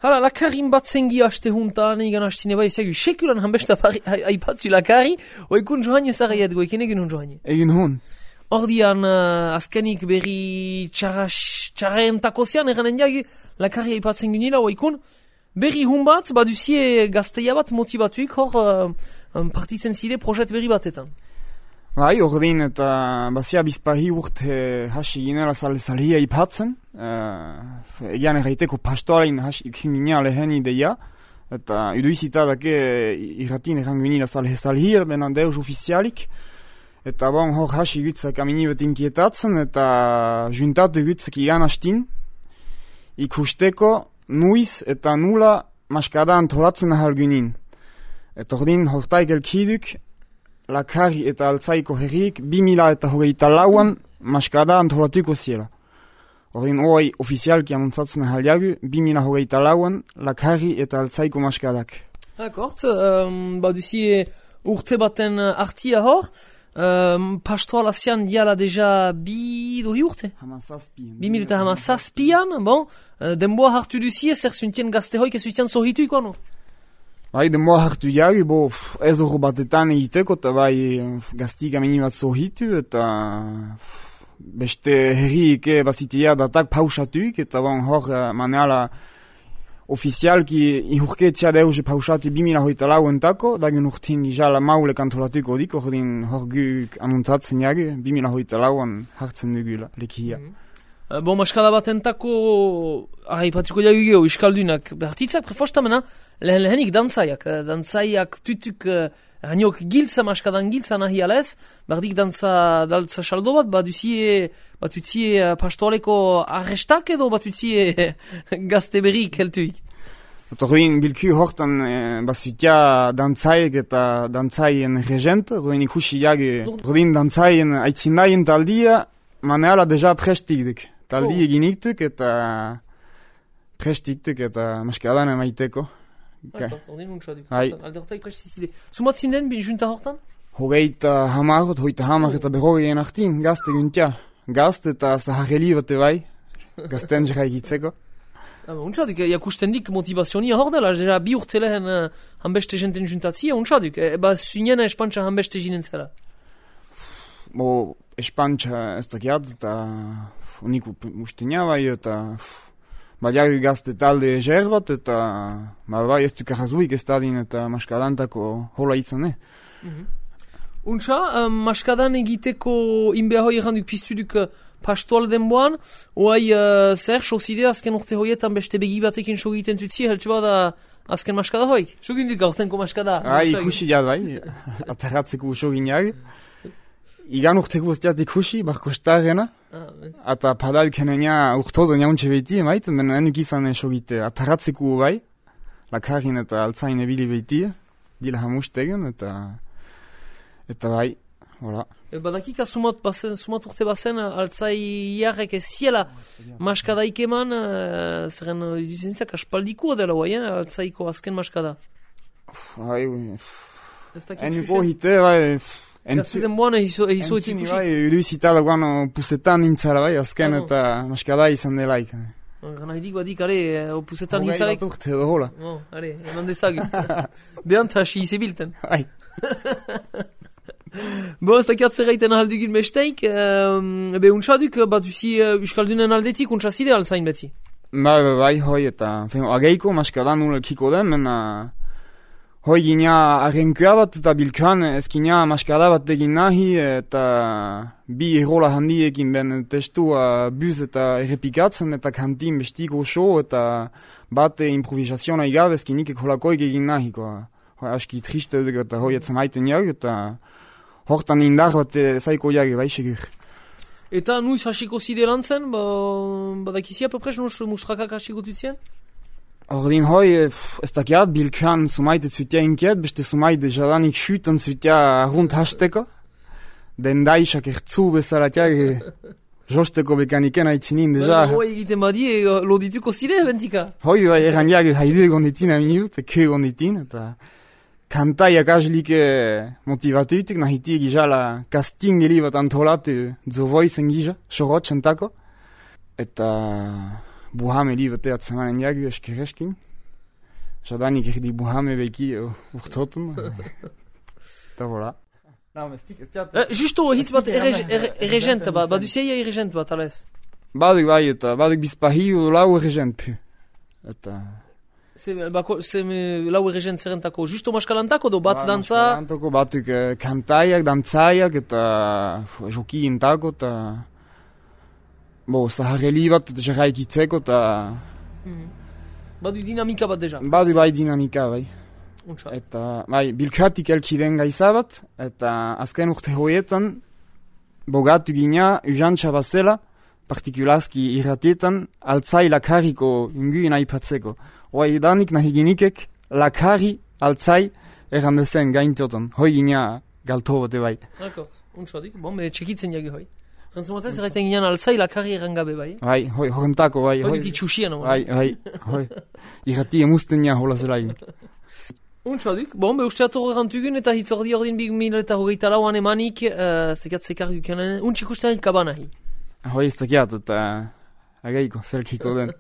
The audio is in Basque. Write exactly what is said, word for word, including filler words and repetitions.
Hala, lakarin bat zengi haste juntan, egan hastine bai zegu, sekulan hanbesta haipatzu lakari, oikun joan ezagaiat goiken egin hun joan. Egin hun. Ordian, uh, azkenik berri txarren takozian, eranen jagu, lakari haipatzen ginila, oikun, berri hun bat, baduzie gazteia bat motibatuik, hor uh, um, partitzen zide projet berri batetan. Bai, ordin eta bazia bizpahi urte hasi ginela zale-zalehia ipatzen. Uh, egian erraiteko pastoalein hasi gina lehen ideia. Eta iduizita dake irratin errangu ginila zale-zalehia, benan deus ofizialik. Eta bon, hor hasi gutzak aminibet inkietatzen eta juntatu gutzak igan hastin. Ikusteko nuiz eta nula maskada antolatzen ahal ginen. Eta ordin hortai gelkiduk, lakari eta altzaiko herriek bi mila eta hogeita lauan maskada antolatuko ziela. Ordin hoi ofizialki anuntzatzen ahaliagu, bi mila hogeita lauan lakari eta altzaiko maskadak. Akort, um, baduzi urte baten artia hor, um, pastoalazian diala deja bi dohi urte? Hamazazpian. Bi mila eta hamazazpian, bon, uh, denboa hartu duzie, zer zuntien gazte hoik ez zuntien zorritu ikoano? Bai, denboa hartu jari, bo, ez hor batetan egiteko, eta bai gaztik amini bat zohitu, eta beste herriik bazitea datak pausatuik, eta bon, hor maneala ofizialki ihurketzia deuze pausatu bi mila hoita lauentako, dagen urtin gizala maule kantolatuko dik, hor din hor guk anuntzatzen jari, bi mila hoita lauan hartzen dugula lekia. Mm -hmm. Bon, maskada batentako, ahi patiko jagu geho, iskaldunak, behartitzak prefostamena, lehen lehenik dantzaiak, dantzaiak tutuk, haniok giltza, maskadan giltza nahi alez, bardik dantza, daltza saldo bat, baduzie, batutzie pastoaleko arrestak edo batutzie gazte berrik heltuik. Ordin bilku hortan e, bazutia dantzaiek eta dantzaien regent, ordin ikusi jage, ordin dantzaien aitzinaien taldia, maneala deja prestikduk. Taldi oh. eginiktuk eta prestiktuk eta maskadan emaiteko. Ordin untxadik. Aldertai prestizide. Zumat zinden junta hortan? Hogeita hamarot, hogeita hamar eta berrogeen artin, gazte guntia. Gazte eta zahareli bate bai, gazten jera egitzeko. Untxadik, jakustendik motivazionia hor dela, jera bi urte lehen uh, hanbeste jenten juntatzia, untxadik, eba zuniena espantxa hanbeste jinen zela. Bo, espantxa ez dakiat, eta unik ustenia bai, eta badiago gazte talde eger bat, eta bai ez duk arrazuik ez dadin eta maskadantako hola izan, eh? Mm -hmm. Untxa, uh, maskadan egiteko inbea hoi erranduk piztuduk uh, pastoal denboan, oai uh, zer, sozide azken urte hoietan beste begi batekin sogiten tutzi, heltsu bada azken maskada hoik? Soginduk gaurtenko maskada? Ah, ikusi jad bai, ataratzeko soginak. Igan urteko urteat ikusi, barko starrena. Ah, eta padal kenenia urtozo niauntxe beti emaiten, bena enuk izan esogite ataratzeko bai, lakarin eta altzain ebili beti, dila hamustegen, eta eta bai, hola. E, badakika sumat, bazen, sumat urte bazen altzai jarrek ez ziela maskadaik eman, uh, zeren uh, duzentzak aspaldiko dela bai, eh, altzaiko azken maskada. Bai, enuko hite, bai, Gazteten boan egizu ikusi. Entzini bai, iruizita dagoan puzetan nintzara bai, azken eta maskada izan delaik. Gana hidik badik, are, puzetan nintzarek. Hogei bat urte edo hola. Oh, are, eman dezagu. Behant hasi izebilten. Bai. Bo, ez dakiat zerraiten ahaldugin besteik, um, be untxaduk bat usi uh, uskaldunen aldetik untxazide alzain beti. Bai, bai, bai, hoi eta ageiko maskada nula kiko den, mena hoi gina arrenkua bat eta bilkan ez gina maskada bat egin nahi eta bi errola handiekin ben testua buz eta errepikatzen eta kantin bestiko show eta bat improvisaziona igabe ez ginik ekolakoik egin nahi, koa. Hoi aski triste eta hoi etzen haiten jau eta hortan indar bat zaiko jage bai segur. Eta nuiz hasiko zide lan zen, ba, badakizia popres mustrakak hasiko dutzien? Ordin hoi, ez dakiat, bilkan sumaite zutia inkiet, beste sumaite jadanik schüten zutia rund hasteko. Den daisak ertzu bezalatiak josteko bekaniken aitzinin deja. Hoi egiten badi, lodituko zide, bentika? Hoi, bai, eran jage haidu egonditin aminut, ke egonditin, eta kantaiak azlik motivatuitik, nahitik gizala casting eli bat antolatu The Voice-en giza, sorotxentako. Eta buham eli bat eatzemanen jagu eskereskin. Jadanik erdi buhame beki urtzoten. Eta voilà. Uh, justo hitz bat erregent bat, baduzeia erregent bat, alez? Baduk bai, eta baduk bizpahi lau erregent pu. Eta... Ze lau erregent zerrentako, justo maskalantako do bat dantza? Maskalantako batuk kantaiak, dantzaiak, eta joki intako, eta... Bo, zaharreli bat, eta jarraik itzeko, eta... Badu dinamika bat deja? Badu bai dinamika, bai. Untsa. Eta, bai, bilkatik elkiden gaiza bat, eta azken urte hoietan, bogatu gina, ujantxa bazela, partikulazki irratietan, altzai lakariko inguin aipatzeko. Hoi danik nahi ginikek, lakari, altzai, errandezen gaintotan. Hoi gina galto bote bai. Rekord, untsa dik, bon, be txekitzen jagi hoi. Zantzumatez, erraiten ginean altzai lakari errangabe bai. Bai, hoi, horrentako bai. Hoi dik itxusian, bai. Bai, bai, hoi. Irrati emuzten nia hola zelain. Untsadik, bon, be uste atorre gantugun eta hitzordi ordin big mila eta hogeita lauan emanik, uh, zekat zekar gukanen, untxik ustean kabanahi. Hoi ez dakiat eta agaiko, zerkiko den.